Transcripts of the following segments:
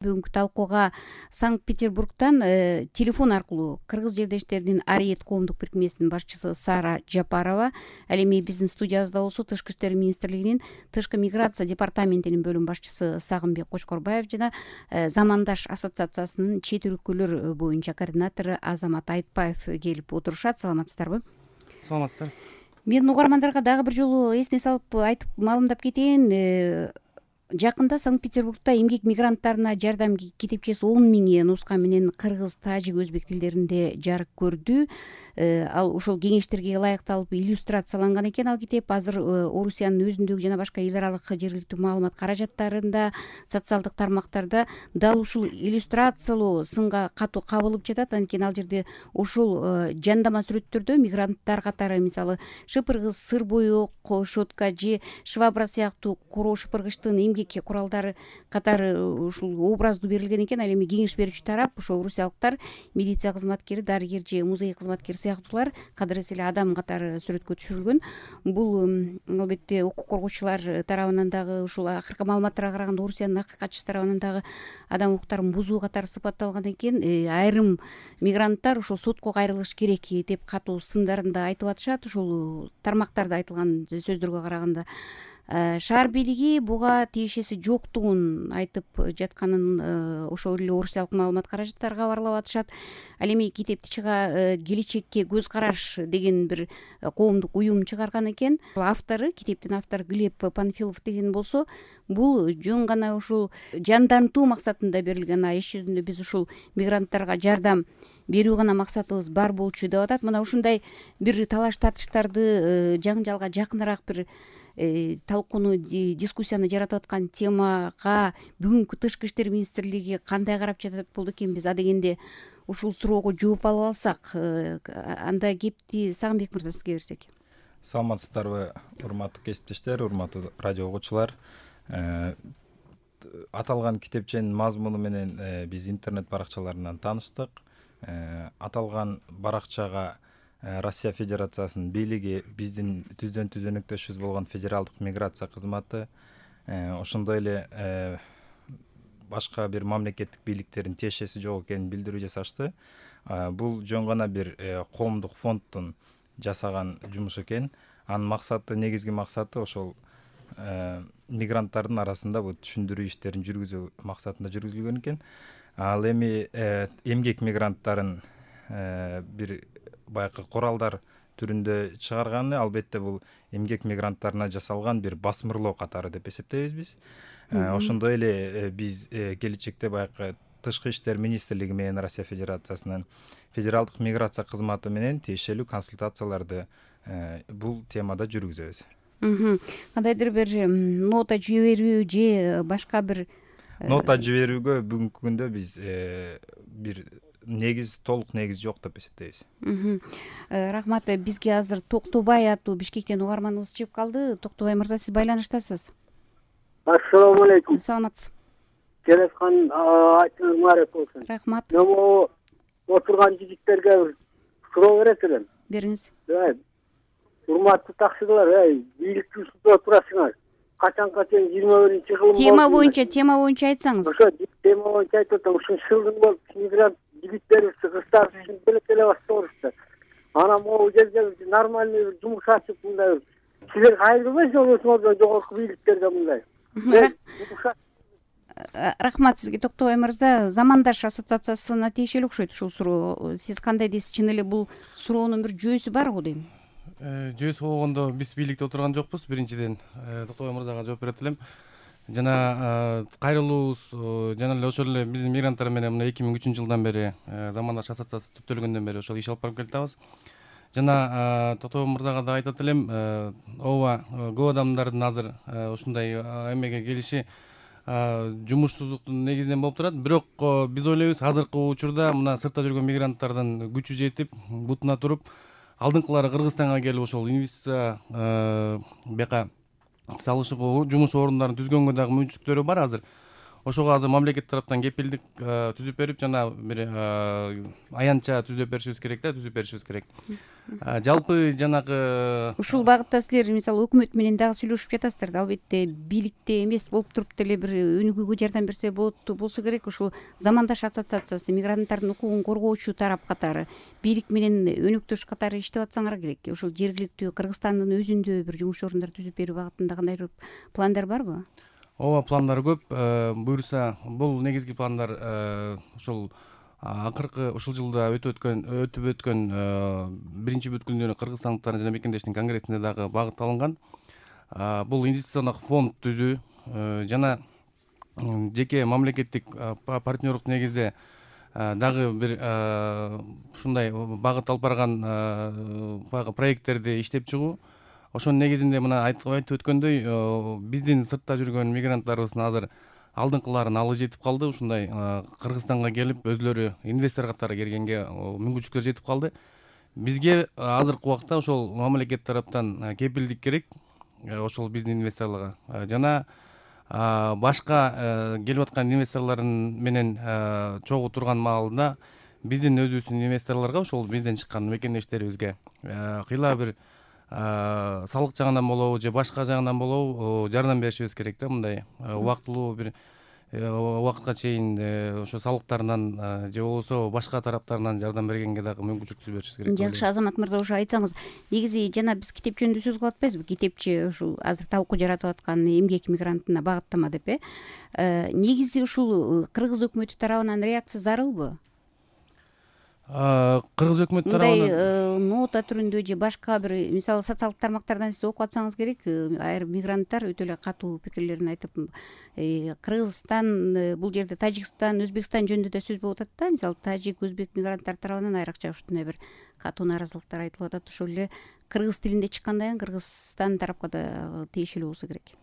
Бүгүнкү талкууга Санкт-Петербургтан телефон аркылуу кыргыз жердештеринин Ариет коомдук бирикмесинин башчысы Сара Жапарова, ал эми биздин студиябызда болсо Тышкы иштер министрлигинин тышкы миграция департаментинин бөлүм башчысы Сагынбек Кочкорбаев жана Замандаш ассоциациясынын чет өлкөлөр боюнча координатору Азамат Айтбаев келип отурушат. Саламатсыздарбы? Саламатсыздар. Мен угармандарга дагы бир жолу эсине салып айтып маалымдап кетейин. Жакында Санкт-Петербургда эмгек мигранттарына жардам китепчеси 10 000 нуска менен кыргыз, тажик, өзбек тилдеринде жарык көрдү. Ал ошол кеңештерге ылайыкталып иллюстрацияланган экен. Ал китеп азыр Орусиянын өзүндөгү жана башка эл аралык жергиликтүү маалымат каражаттарында, социалдык тармактарда дал ушул иллюстрациялоо сынга катуу кабылып жатат. Анткени ал жерде ошол жандама сүрөттөрдө мигранттар катары, мисалы шыпыргыз, сыр боек, щетка же швабра сыяктуу короо шыпыргычтын эмгек куралдары катары ушул образдуу берилген экен. Ал эми кеңеш берүүчү тарап ошол орусиялыктар милиция кызматкери, дарыгер же музей кызматкери сыяктуулар кадыресе эле адам катары сүрөткө түшүрүлгөн. Бул албетте укук коргоочулар тарабынан дагы ушул акыркы маалыматтарга караганда Орусиянын акыйкатчысы тарабынан дагы адам укуктарын бузуу катары сыпатталган экен. Айрым мигранттар ошол сотко кайрылыш керек деп катуу сындарында айтып атышат. Ушул тармактарда айтылган сөздөргө караганда шаар бийлиги буга тиешеси жоктугун айтып жатканын ошол эле орусиялык маалымат каражаттары кабарлап атышат. Ал эми китепти келечекке көз караш деген бир коомдук уюм чыгарган экен. Автору, китептин автору Глеб Панфилов деген болсо, бул жөн гана ушул жандантуу максатында берилген. Иш жүзүндө биз ушул мигранттарга жардам берүү гана максатыбыз бар болчу деп атат. Мына ушундай бир талаш тартыштарды жаңжалга жакыныраак бир талкууну, дискуссияны жаратып аткан темага бүгүнкү Тышкы иштер министрлиги кандай карап жатат болду экен? Биз адегенде ушул суроого жооп алып алсак, анда кепти Сагынбек мырза сизге берсек. Саламатсыздарбы, урматтуу кесиптештер, урматтуу радио угуучулар. Аталган китепченин мазмуну менен биз интернет баракчаларынан тааныштык. Аталган баракчага Россия Федерациясынын бийлиги, биздин түздөн түз өнөктөшүбүз болгон Федералдык миграция кызматы, ошондой эле башка бир мамлекеттик бийликтердин тиешеси жок экенин билдирүү жасашты. Бул жөн гана бир коомдук фонддун жасаган жумушу экен. Анын максаты, негизги максаты ошол мигранттардын арасында бул түшүндүрүү иштерин жүргүзүү максатында жүргүзүлгөн экен. Ал эми эмгек мигранттарын бир баягы куралдар түрүндө чыгарганы, албетте бул эмгек мигранттарына жасалган бир басмырлоо катары деп эсептейбиз биз. Ошондой эле биз келечекте баягы Тышкы иштер министрлиги менен Россия Федерациясынын Федералдык миграция кызматы менен тиешелүү консультацияларды бул темада жүргүзөбүз. Кандайдыр бир нота жиберүү же башка бир нота жиберүүгө бүгүнкү күндө биз бир толук негиз жок деп эсептейбиз. Рахмат. Бизге азыр Токтобай аттуу Бишкектен угарманыбыз чыгып калды. Токтобай мырза, сиз байланыштасыз. Ассаламу алейкум. Саламатсыз. Келаткан айтыңыз маарет болсун. Рахмат. Мен отурган жигиттерге бир суроо берет элем. Бериңиз. Урматтуу таксырлар, бийликтин устунда отурасыңар. Качанга чейин 21-чи кылым тема боюнча айтсаңыз. Ошо тема боюнча айтып атам. Ушул шылдың болуп мигрант жигиттерибиз, кыздар үчүн белек-белек баштабырышты. Анан могу жерде нормальный бир жумуш ачып мындай силер кайрылбайсыңар өзүңөрдөн жогорку бийликтерге мындай. Рахмат сизге, Токтобай мырза. Замандаш ассоциациясына тиешелүү окшойт ушул суроо. Сиз кандай дейсиз? Чын эле бул суроонун бир жүйөсү барбы дейм? Жүйөсү болгондо биз бийликте отурган жокпуз. Биринчиден Токтобай мырзага жооп берет элем. Жана кайрылуубуз жана эле ошол эле биздин мигранттар менен мына 2003 жылдан бери Замандаш ассоциациясы түптөлгөндөн бери ошол иш алып барып келатабыз. Жана Токтобай мырзага да айтат элем, ооба, көп адамдардын азыр ушундай эмеге келиши жумушсуздуктун негизинен болуп турат. Бирок биз ойлойбуз, азыркы учурда мына сыртта жүргөн мигранттардын күчү жетип, бутуна туруп, алдыңкылары Кыргызстанга келип ошол инвестиция бияка салышып жумуш орундарын түзгөнгө дагы мүмкүнчүлүктөрү бар азыр. ошого азыр мамлекет тараптан кепилдик түзүп берип, жана бир аянтча түзүп беришибиз керек. Жалпы жанагы ушул багытта силер мисалы өкмөт менен дагы сүйлөшүп жатасыздар да, албетте бийликте эмес болуп туруп деле бир өнүгүүгө жардам берсе болсо керек. Ушул замандаш ассоциациясы мигранттардын укугун коргоочу тарап катары бийлик менен өнөктөш катары иштеп атсаңар керек. Ушул жергиликтүү Кыргызстандын өзүндө бир жумуш орундар түзүп берүү багытында кандайдыр пландар барбы? Ооба, пландар көп. Буюрса, бул негизги пландар ушул акыркы ушул жылда өтүп өткөн биринчи бүткүлдүү кыргызстандыктардын жана мекендештин конгрессинде дагы багытталынган. Бул инвестициондук фонд түзүү жана жеке мамлекеттик партнерлук негизде дагы бир ушундай багыт алып барган баягы проекттерди иштеп чыгуу. Ошонун негизинде мына айтып өткөндөй, биздин сыртта жүргөн мигранттарыбыздын азыр алдыңкыларын алы жетип калды. Ушундай Кыргызстанга келип өзлөрү инвестор катары келгенге мүмкүнчүлүктөр жетип калды. Бизге азыркы убакта ошол мамлекет тараптан кепилдик керек, ошол биздин инвесторлорго жана башка келип аткан инвесторлордун менен чогуу турган маалында биздин өзүбүздүн инвесторлорго, ошол бизден чыккан мекендештерибизге кыйла бир салык жагынан болобу же башка жагынан болобу жардам беришибиз керек да. Мындай убактылуу бир убакытка чейин ошо салыктарынан же болбосо башка тараптарынан жардам бергенге дагы мүмкүнчүлүк түзүп беришибиз керек. Жакшы, Азамат мырза, ошо айтсаңыз, негизи жана биз китеп жөнүндө сөз кылып атпайбызбы? Китепчи ушул азыр талкуу жаратып аткан эмгек мигрантына багыттама деп, негизи ушул кыргыз өкмөтү тарабынан реакция зарылбы? Кыргыз өкмөтү тарабынан мындай нота түрүндө же башка бир, мисалы социалдык тармактардан сиз окуп атсаңыз керек, айрым мигранттар өтө эле катуу пикирлерин айтып, Кыргызстан, бул жерде Тажикстан, Өзбекстан жөнүндө да сөз болуп атат да. Мисалы тажик, өзбек мигранттар тарабынан айрыкча ушундай бир катуу нааразылыктар айтылып атат. Ошол эле кыргыз тилинде чыккандан кийин Кыргызстан тарапка да тиешелүү болсо керек.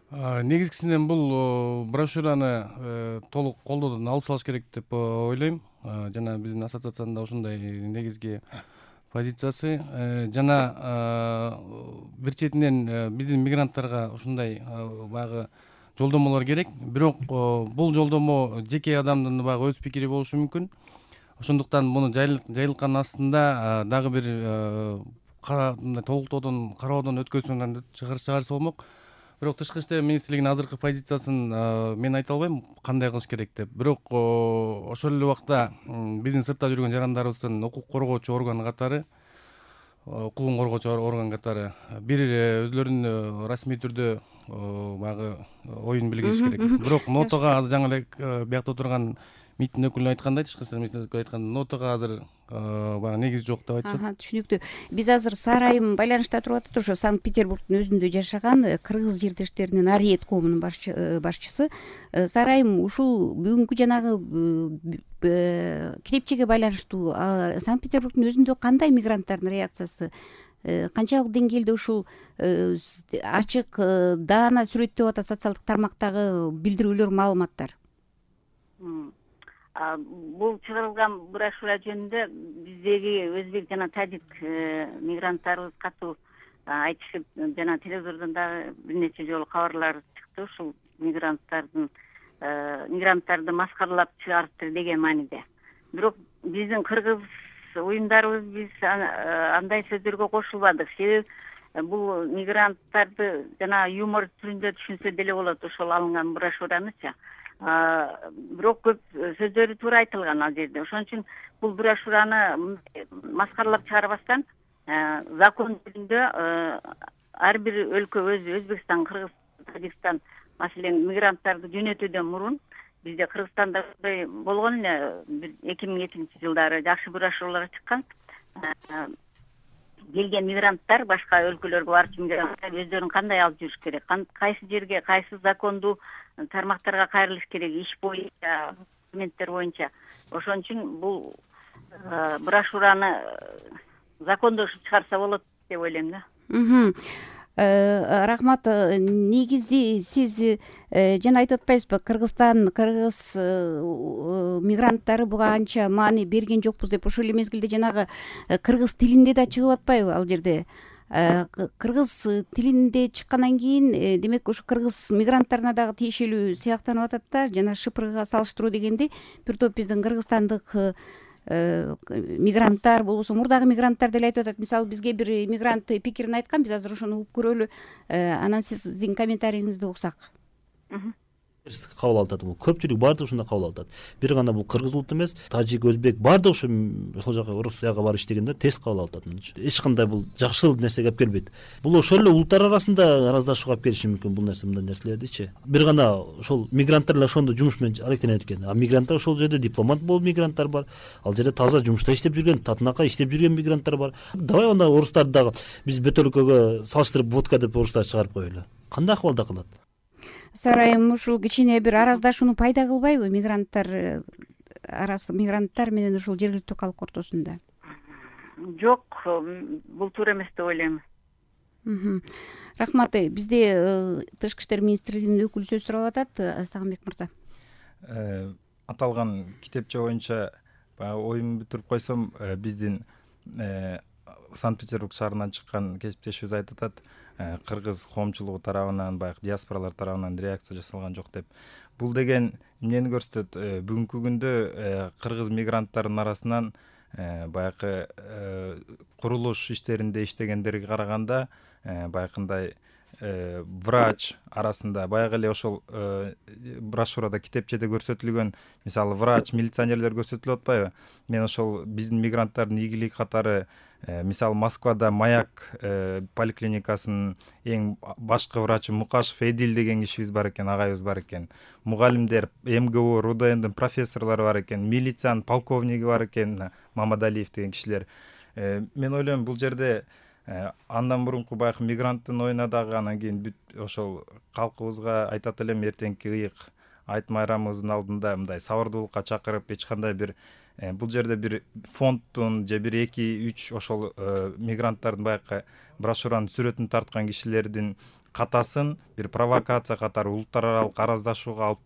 Негизгисинен бул брошюраны толук колдоодон алып салыш керек деп ойлойм. Жана биздин ассоциациянын да ушундай негизги позициясы. Жана бир четинен биздин мигранттарга ушундай баягы жолдомолор керек. Бирок бул жолдомо жеке адамдын баягы өз пикири болушу мүмкүн. Ошондуктан муну жайылткан астында дагы бир толуктоодон, кароодон өткөзүүнөн чыгарса болмок. Бирок тышкы иштер министрлигинин азыркы позициясын мен айта албайм кандай кылыш керек деп. Бирок ошол эле убакта биздин сыртта жүргөн жарандарыбыздын укук коргоочу орган катары, укугун коргоочу орган катары бир өзлөрүнүн расмий түрдө баягы оюн билгизиш керек. Бирок нотага азыр жаңы эле биякта отурган МИДтин өкүлү айткандай, тышкы иштер министринин өкүлү айткандай, нотага азыр баягы негиз жок деп айтышат. Түшүнүктүү. Биз азыр Сара айым байланышта туруп атат. Ошо Санкт-Петербургдун өзүндө жашаган кыргыз жердештеринин Ариет коомунун башчысы. Сара айым, ушул бүгүнкү жанагы китепчеге байланыштуу Санкт-Петербургдун өзүндө кандай мигранттардын реакциясы, канчалык деңгээлде ушул ачык даана сүрөттөп атат социалдык тармактагы билдирүүлөр, маалыматтар? Бул чыгарылган брошюра жөнүндө биздеги өзбек жана тажик мигранттарыбыз катуу айтышып, жана телевизордон дагы бир нече жолу кабарлар чыкты. Ушул мигранттарды маскаралап чыгарыптыр деген мааниде. Бирок биздин кыргыз уюмдарыбыз биз андай сөздөргө кошулбадык. Себеби бул мигранттарды жана юмор түрүндө түшүнсө деле болот ошол алынган брошюранычы. Бирок көп сөздөрү туура айтылган ал жерде. Ошон үчүн бул брошюраны маскаралап чыгарбастан закон түрүндө ар бир өлкө өзү, Өзбекстан, Кыргызстан, Тажикстан, маселен мигранттарды жөнөтүүдөн мурун бизде Кыргызстанда болгон эле 2007-жылдары жакшы брошюралар чыккан. Келген мигранттар башка өлкөлөргө барчу мигранттар өздөрүн кандай алып жүрүш керек, кайсы жерге, кайсы закондуу тармактарга кайрылыш керек, иш боюнча, документтер боюнча. Ошон үчүн бул брошюраны закондошуп чыгарса болот деп ойлойм да. Рахмат. Негизи сиз жана айтып атпайсызбы, Кыргызстан, кыргыз мигранттары буга анча маани берген жокпуз деп. Ошол эле мезгилде жанагы кыргыз тилинде да чыгып атпайбы ал жерде? кыргыз тилинде чыккандан кийин демек ошо кыргыз мигранттарына дагы тиешелүү сыяктанып атат да. Жана ШПРга салыштыруу дегенде бир топ биздин кыргызстандык мигранттар болбосо мурдагы мигранттар деле айтып атат. Мисалы бизге бир мигрант пикирин айткан, биз азыр ошону угуп көрөлү. Анан сиздин комментарийиңизди уксак. Кабыл алып атат. Бул көпчүлүк баардыгы ушундай кабыл алып атат. Бир гана бул кыргыз улут эмес, тажик, өзбек баардыгы ушу ошол жака Орусияга барып иштегендер терс кабыл алып атат. Эч кандай бул жакшылык нерсеге алып келбейт. Бул ошол эле улуттар арасында араздашууга алып келиши мүмкүн бул нерсе, мындай нерселердичи. Бир гана ошол мигранттар эле ошондо жумуш менен алектенет экен. А мигранттар ошол жерде дипломат болуп мигранттар бар. Ал жерде таза жумушта иштеп жүргөн, татынакай иштеп жүргөн мигранттар бар. Давай анда орустарды дагы биз бөтөлкөгө салыштырып водка деп орустарды чыгарып коелу. Кандай акыбалда кылат? Сарайым ушул кичине бир араздашууну пайда кылбайбы мигранттар менен ушул жергиликтүү калк ортосунда? Жок, бул туура эмес деп ойлойм. Рахмат. Бизде Тышкы иштер министрлигинин өкүлү сөз сурап атат. Сагынбек мырза. Аталган китепче боюнча баягы оюмду бүтүрүп койсом, биздин Санкт-Петербург шаарынан чыккан кесиптешибиз айтып атат, кыргыз коомчулугу тарабынан, баягы диаспоралар тарабынан реакция жасалган жок деп. Бул деген эмнени көрсөтөт? Бүгүнкү күндө кыргыз мигранттардын арасынан баягы курулуш иштеринде иштегендерге караганда баягындай врач арасында баягы эле ошол брошюрада китепчеде көрсөтүлгөн, мисалы врач, милиционерлер көрсөтүлүп атпайбы? Мен ошол биздин мигранттардын ийгилиги катары мисалы Москвада Маяк поликлиникасынын эң башкы врачы Мукашев Эдил деген кишибиз бар экен, агайыбыз бар экен. Мугалимдер, МГУ, РУДНдин профессорлору бар экен, милициянын полковниги бар экен, Мамадалиев деген кишилер. Мен ойлойм бул жерде андан мурунку баягы мигранттын оюна дагы анан кийин бүт ошол калкыбызга айтат элем, эртеңки ыйык айт майрамыбыздын алдында мындай сабырдуулукка чакырып, эч кандай бир бул жерде бир фонддун же бир 2-3 ошол мигранттардын баягы брошюранын сүрөтүн тарткан кишилердин катасын бир провокация катары улуттар аралык араздашууга алып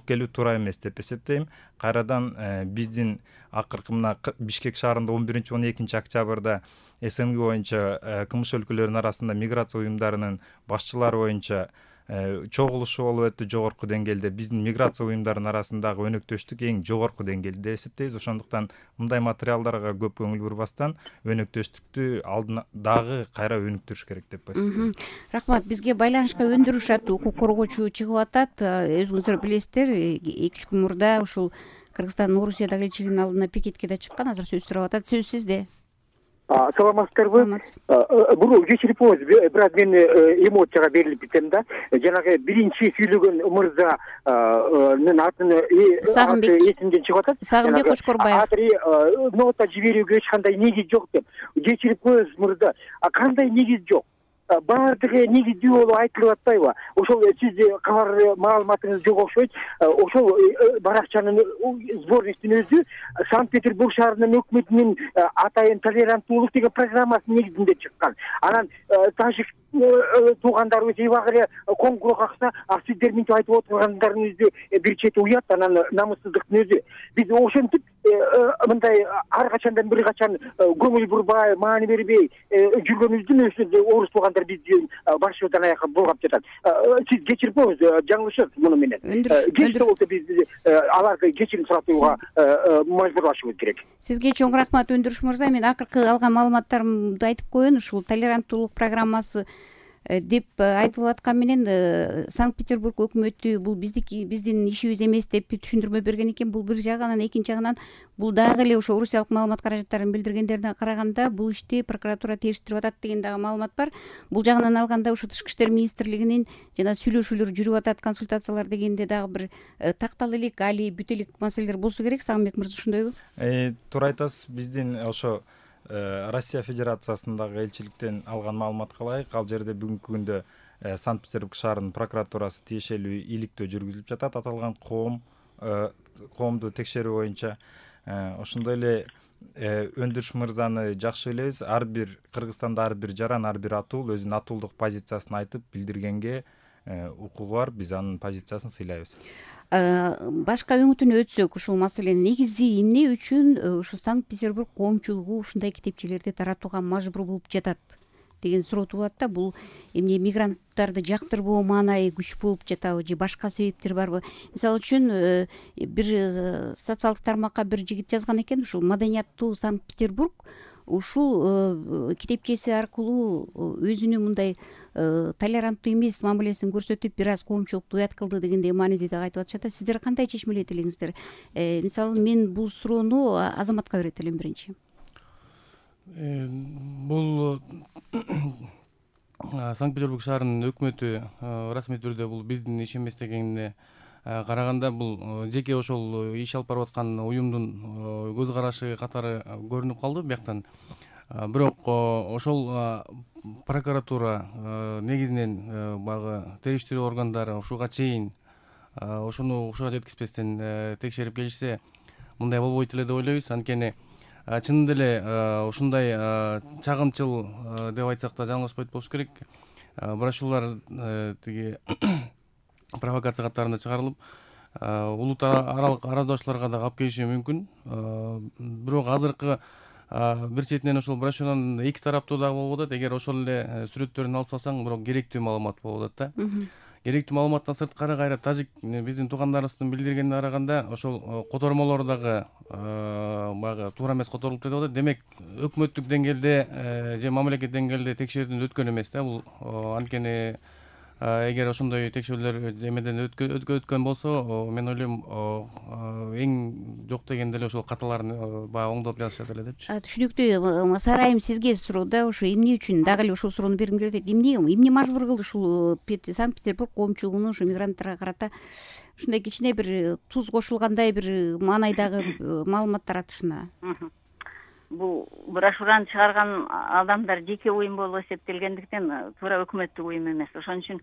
келүү туура эмес деп эсептейм. Кайрадан биздин акыркы мына Бишкек шаарында 11-12 октябрда СНГ боюнча кылмыш өлкөлөрүнүн арасында миграция уюмдарынын башчылары боюнча чогулушу болуп өттү жогорку деңгээлде. Биздин миграция уюмдарынын арасындагы өнөктөштүк эң жогорку деңгээлде деп эсептейбиз. Ошондуктан мындай материалдарга көп көңүл бурбастан өнөктөштүктү алдына дагы кайра өнүктүрүш керек деп эсептейм. Рахмат. Бизге байланышка өндүрүшат укук коргоочу чыгып атат. Өзүңүздөр билесиздер, 2-3 күн мурда ушул Кыргызстандын Орусиядагы элчилигинин алдына пикетке да чыккан. Азыр сөз сурап атат. Сөз сизде. Саламатсыздарбы? Буну кечирип коюңуз, бирок мен эмоцияга берилип кетем да. Жанагы биринчи сүйлөгөн мырзанын атын эсимден чыгып атат. Сагынбек Кочкорбаев. Нота жиберүүгө эч кандай негиз жок деп. Кечирип коюңуз мырза. Кандай негиз жок? Баардыгы негиздүү болуп айтылып атпайбы? Ошол сиз кабар маалыматыңыз жок окшойт. Ошол баракчанын сборниктин өзү Санкт-Петербург шаарынын өкмөтүнүн атайын толеранттуулук деген программасынын негизинде чыккан. Анан тажик туугандарыбыз эбагы коңгуроо какса, сиздер мынтип айтып отургандарыңызды бир чети уят, анан намыссыздыктын өзү. Биз ошентип мындай ар качандан бир качан көңүл бурбай, маани бербей жүргөнүбүздүн өзү орус туугандар бизди башыбыздан аякка булгап жатат. Сиз кечирип коюңуз, жаңылышасыз муну менен. Кеч болсо биз аларды кечирим суратууга мажбурлашыбыз керек. Сизге чоң рахмат Өндүрүш мырза. Мен акыркы алган маалыматтарымды айтып коеюн. Ушул толеранттуулук программасы деп айтылып аткан менен Санкт-Петербург өкмөтү бул биздин ишибиз эмес деп түшүндүрмө берген экен. Бул бир жагынан, экинчи жагынан бул дагы эле ошо Орусиялык маалымат каражаттарын билдиргендерине караганда бул ишти прокуратура териштирип атат деген дагы маалымат бар. Бул жагынан алганда ошо Тышкы иштер министрлигинин жана сүйлөшүүлөр жүрүп атат, консультациялар дегенде дагы бир тактал элек, али бүт элек маселелер болсо керек. Сагынбек мырза, ошондойбу? Туура айтасыз. Биздин ошо Россия Федерациясындагы элчиликтен алган маалыматка ылайык, ал жерде бүгүнкү күндө Санкт-Петербург шаарынын прокуратурасы тиешелүү иликтөө жүргүзүлүп жатат. Аталган коомду текшерүү боюнча ошондой эле Өндүрүш мырзаны жакшы билебиз. Ар бир Кыргызстанда ар бир жаран, ар бир атул өзүнүн атуулдук позициясын айтып билдиргенге укугу бар, биз анын позициясын сыйлайбыз. Башка өңүтүнө өтсөк, ушул маселенин негизи эмне үчүн ушу Санкт-Петербург коомчулугу ушундай китепчелерди таратууга мажбур болуп жатат деген суроо туулат да. Бул эмне мигранттарды жактырбоо маанайы күч болуп жатабы же башка себептер барбы? Мисалы үчүн бир социалдык тармакка бир жигит жазган экен, ушул Маданияттуу Санкт-Петербург ушул китепчеси аркылуу өзүнүн мындай толеранттуу эмес мамилесин көрсөтүп бир аз коомчулукту уят кылды дегендей мааниде да айтып атышат. Сиздер кандай чечмелейт элеңиздер? Мисалы мен бул суроону Азаматка берет элем биринчи. Бул Санкт-Петербург шаарынын өкмөтү расмий түрдө бул биздин иш эмес дегенине караганда бул жеке ошол иш алып барып аткан уюмдун көз карашы катары көрүнүп калды бияктан. Бирок ошол прокуратура негизинен баягы териштирүү органдары ушуга чейин ошону ушуга жеткизбестен текшерип келишсе мындай болбойт эле деп ойлойбуз. Анткени чынында эле ушундай чагымчыл деп айтсак да жаңылышпайт болуш керек. Брошюралар тиги провокация катарында чыгарылып, улут аралык араздашууларга да алып келиши мүмкүн. Бирок азыркы бир четинен ошол брошюранын эки тараптуу дагы болуп атат. Эгер ошол эле сүрөттөрүн алып салсаң, бирок керектүү маалымат болуп атат да. Керектүү маалыматтан сырткары кайра тажик биздин туугандарыбыздын билдиргенине караганда ошол котормолор дагы баягы туура эмес которулуп деп атат. Демек өкмөттүк деңгээлде же мамлекет деңгээлде текшерүүдөн өткөн эмес да бул. Анткени эгер ошондой текшерүүлөр эмеден өткөн болсо, мен ойлойм эң жок дегенде эле ошол каталарын баягы оңдоп жазышат эле депчи. Түшүнүктүү. Сарайым сизге суроо да, ушу эмне үчүн дагы эле ушул суроону бергим келет. Эмне мажбур кылды ушул Санкт-Петербург коомчулугуну ушу мигранттарга карата ушундай кичине бир туз кошулгандай бир маанайдагы маалымат таратышына? Бул брошюраны чыгарган адамдар жеке уюм болуп эсептелгендиктен туура өкмөттүк уюм эмес. Ошон үчүн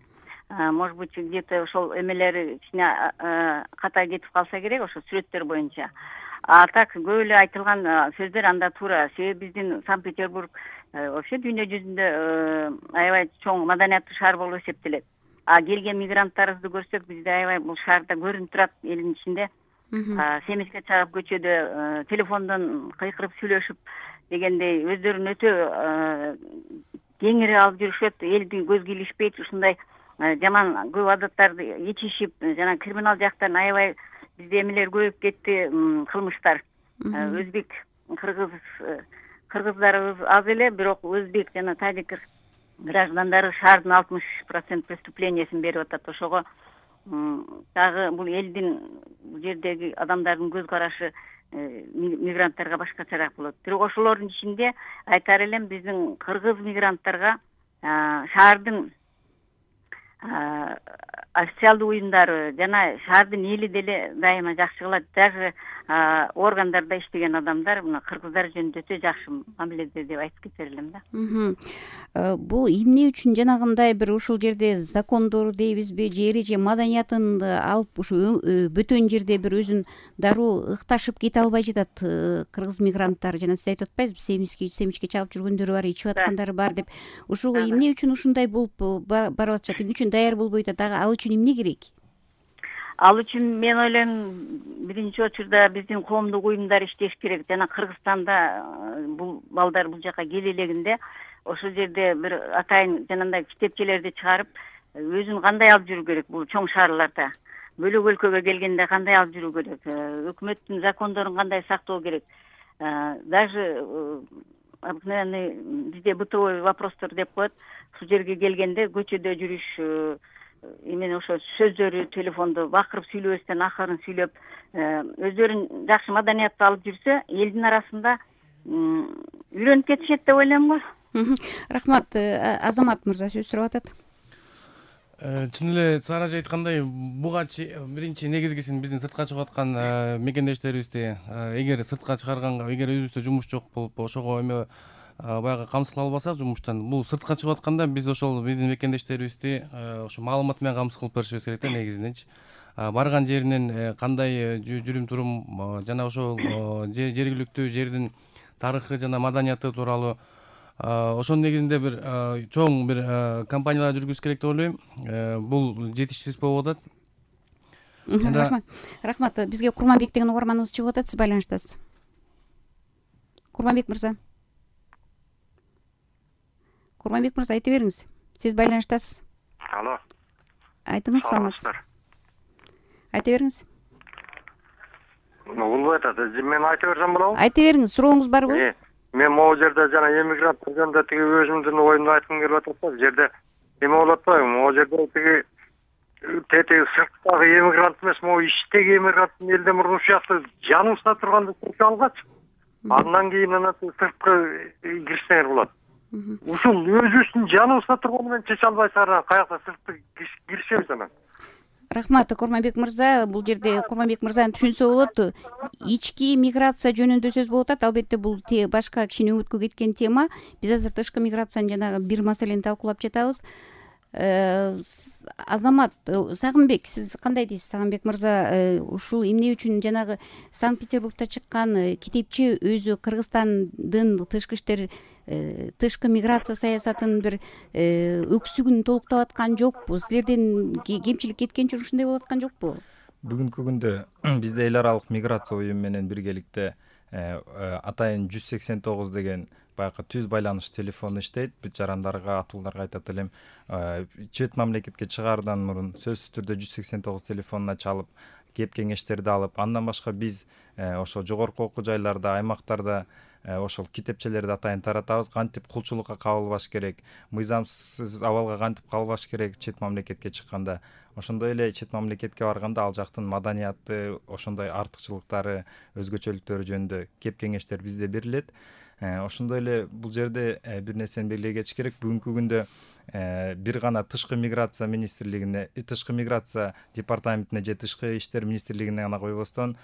может быть где-то ошол эмелери кичине ката кетип калса керек ошо сүрөттөр боюнча. А так көп эле айтылган сөздөр анда туура. Себеби биздин Санкт-Петербург вообще дүйнө жүзүндө аябай чоң маданияттуу шаар болуп эсептелет. А келген мигранттарыбызды көрсөк, бизде аябай бул шаарда көрүнүп турат элдин ичинде. Семизге чыгып көчөдө телефондон кыйкырып сүйлөшүп дегендей өздөрүн өтө кеңири алып жүрүшөт, элди көзгө илишпейт, ушундай жаман көп адаттарды ичишип, жана криминал жактан аябай бизде эмелер көбөйүп кетти, кылмыштар. Өзбек, кыргыздарыбыз аз эле, бирок өзбек жана тажик граждандары шаардын 60% преступлениясын берип атат. Ошого дагы бул элдин бул жердеги адамдардын көз карашы мигранттарга башкачараак болот. Бирок ошолордун ичинде айтар элем, биздин кыргыз мигранттарга шаардын официалдуу уюмдары жана шаардын эли деле дайыма жакшы кылат. Даже органдарда иштеген адамдар мына кыргыздар жөнүндө өтө жакшы мамиледе деп айтып кетер элем да. Бул эмне үчүн жанагындай бир ушул жерде закондор дейбизби же эреже маданиятын алып ушу бөтөн жерде бир өзүн дароо ыкташып кете албай жатат кыргыз мигранттар? Жана сиз айтып атпайсызбы, семичке чагып жүргөндөрү бар, ичип аткандары бар деп. Ушуга эмне үчүн ушундай болуп барып атышат? Эмне үчүн даяр болбой атат? Ал үчүн эмне керек? Ал үчүн мен ойлойм, биринчи очурда биздин коомдук уюмдар иштеш керек. Жана Кыргызстанда бул балдар бул жака келе элегинде ошол жерде бир атайын жанагындай китепчелерди чыгарып, өзүн кандай алып жүрүү керек бул чоң шаарларда. Бөлөк өлкөгө келгенде кандай алып жүрүү керек? Өкмөттүн закондорун кандай сактоо керек? Даже обыкновенный бизде бытовой вопростор деп коет. Ушул жерге келгенде көчөдө жүрүш, эмне ошо сөздөрү телефондо бакырып сүйлөбөстөн акырын сүйлөп, өздөрүн жакшы маданияттуу алып жүрсө, элдин арасында үйрөнүп кетишет деп ойлойм го. Рахмат. Азамат мырза сөз сурап атат. Чын эле Сара эже айткандай, буга биринчи негизгисин биздин сыртка чыгып аткан мекендештерибизди эгер сыртка чыгарганга, эгер өзүбүздө жумуш жок болуп, ошого эме баягы камсыз кыла албасак жумуштан, бул сыртка чыгып атканда биз ошол биздин мекендештерибизди ошо маалымат менен камсыз кылып беришибиз керек да негизиненчи. Барган жеринен кандай жүрүм турум жана ошол жергиликтүү жердин тарыхы жана маданияты тууралуу ошонун негизинде бир чоң бир компаниялар жүргүзүш керек деп ойлойм. Бул жетишсиз болуп атат. Рахмат. Бизге Курманбек деген угарманыбыз чыгып атат, сиз байланыштасыз. Курманбек мырза, айта бериңиз. Сиз байланыштасыз. Алло. Айтыңыз, саламатсыз. Айта бериңиз. Улбай атат. Мен айта берсем болобу? Айта бериңиз. Сурооңуз барбы? Мен могу жерде жана эмигранттар жөнүндө тиги өзүмдүн оюмду айткым келип атат да. Бул жерде эме болот атпайбы? Могу жерде тиги тетиги сырттагы эмигрант эмес, могу ичтеги эмигранттын элден мурун ушакта жаныбызда турганда чечип алгач, андан кийин сырткы кирсеңер болот. Ушул өзүбүздүн жаныбызда турганы менен чече албайсыңар, каякта сыртты киришебиз анан. Рахмат, Курманбек мырза. Бул жерде Курманбек мырзаны түшүнсө болот. Ички миграция жөнүндө сөз болуп атат. Албетте бул башка кичине өбүткө кеткен тема. Биз азыр тышкы миграциянын жанагы бир маселени талкуулап жатабыз. Азамат Сагынбек, сиз кандай дейсиз? Сагынбек мырза ушул эмне үчүн жанагы Санкт-Петербургда чыккан китепче өзү Кыргызстандын тышкы миграция саясатынын бир өксүгүн толуктап аткан жокпу? Силерден кемчилик кеткенчи ушундай болуп аткан жокпу? Бүгүнкү күндө бизде эл аралык миграция уюму менен биргеликте атайын 189 деген баягы түз байланыш телефону иштейт. Бүт жарандарга, атууларга айтат элем, чет мамлекетке чыгаардан мурун сөзсүз түрдө 189 телефонуна чалып, кеп кеңештерди алып, андан башка биз ошо жогорку окуу жайларда, аймактарда ошол китепчелерди атайын таратабыз. Кантип кулчулукка кабылбаш керек, мыйзамсыз абалга кантип калбаш керек чет мамлекетке чыкканда. Ошондой эле чет мамлекетке барганда ал жактын маданияты, ошондой артыкчылыктары, өзгөчөлүктөрү жөнүндө кеп кеңештер бизде берилет. Ошондой эле бул жерде бир нерсени белгилей кетиш керек. Бүгүнкү күндө бир гана тышкы миграция министрлигине, тышкы миграция департаментине же тышкы иштер министрлигине гана койбостон,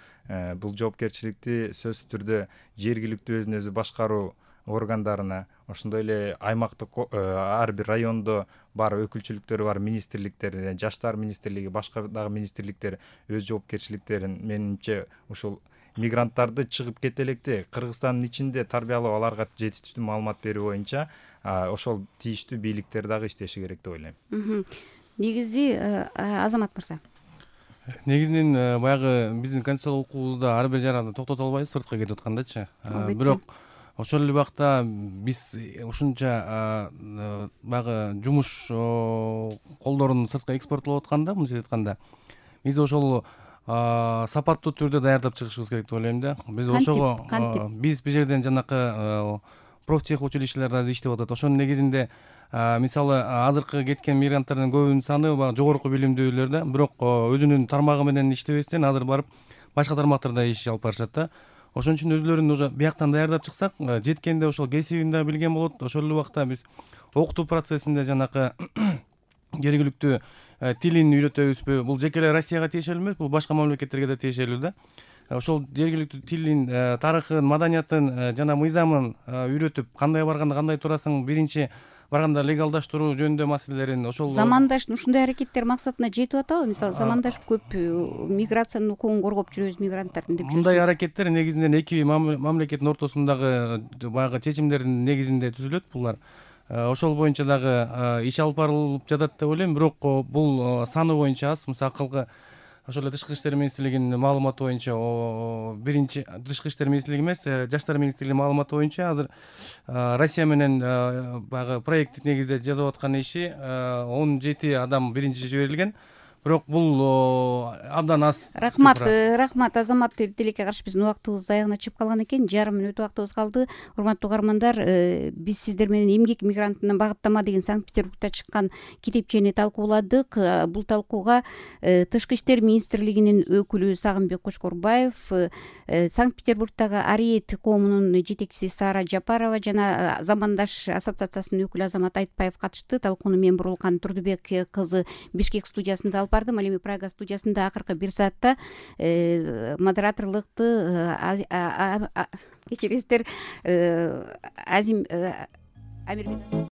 бул жоопкерчиликти сөзсүз түрдө жергиликтүү өзүн өзү башкаруу органдарына, ошондой эле аймактык ар бир райондо бар өкүлчүлүктөрү бар министрликтерине, жаштар министрлиги, башка дагы министрликтер өз жоопкерчиликтерин, менимче ушул мигранттарды чыгып кете электе Кыргызстандын ичинде тарбиялоо, аларга жетиштүү маалымат берүү боюнча ошол тийиштүү бийликтер дагы иштеши керек деп ойлойм. Негизи Азамат мырза, негизинен баягы биздин конституциялык укугубузда ар бир жаранды токтото албайбыз сыртка кетип аткандачы. Бирок ошол эле убакта биз ушунча баягы жумуш колдорун сыртка экспорттоп атканда, мындайча айтканда, биз ошол сапаттуу түрдө даярдап чыгышыбыз керек деп ойлойм да. Биз ошого биз бул жерден жанакы профтех училищелерде иштеп атат. Ошонун негизинде мисалы азыркы кеткен мигранттардын көбүнүн саны баягы жогорку билимдүүлөр да, бирок өзүнүн тармагы менен иштебестен азыр барып башка тармактарда иш алып барышат да. Ошон үчүн өзүлөрүн уже бияктан даярдап чыксак, жеткенде ошол кесибин да билген болот. Ошол эле убакта биз окутуу процессинде жанакы жергиликтүү тилин үйрөтөбүзбү? Бул жеке эле Россияга тиешелүү эмес, бул башка мамлекеттерге да тиешелүү да. Ошол жергиликтүү тилин, тарыхын, маданиятын жана мыйзамын үйрөтүп, кандай барганда кандай турасың, биринчи барганда легалдаштыруу жөнүндө маселелерин ошол замандаш ушундай аракеттер максатына жетип атабы? Мисалы замандаш көп миграциянын укугун коргоп жүрөбүз мигранттардын деп жүрөбүз. Мындай аракеттер негизинен эки мамлекеттин ортосундагы баягы чечимдердин негизинде түзүлөт булар. Ошол боюнча дагы иш алып барылып жатат деп ойлойм, бирок бул саны боюнча аз. Мисалы акылгы ошол эле тышкы иштер министрлигинин маалыматы боюнча биринчи тышкы иштер министрлиги эмес, жаштар министрлигинин маалыматы боюнча азыр Россия менен баягы проекттик негизде жасап аткан иши 17 адам биринчи жиберилген. Бирок бул абдан аз. Рахмат Азамат. Тилекке каршы биздин убактыбыз аягына чыгып калган экен. Жарым мүнөт убактыбыз калды. Урматтуу угармандар, биз сиздер менен эмгек мигрантына багыттама деген Санкт-Петербургда чыккан китепчени талкууладык. Бул талкууга тышкы иштер министрлигинин өкүлү Сагынбек Кочкорбаев, Санкт-Петербургдагы Ариет коомунун жетекчиси Сара Жапарова жана Замандаш ассоциациясынын өкүлү Азамат Айтбаев катышты. Талкууну мен Бурулкан Турдубек кызы Бишкек студиясында алып бардым. Ал эми Прага студиясында акыркы бир саатта модераторлукту кечиресиздер Амирбек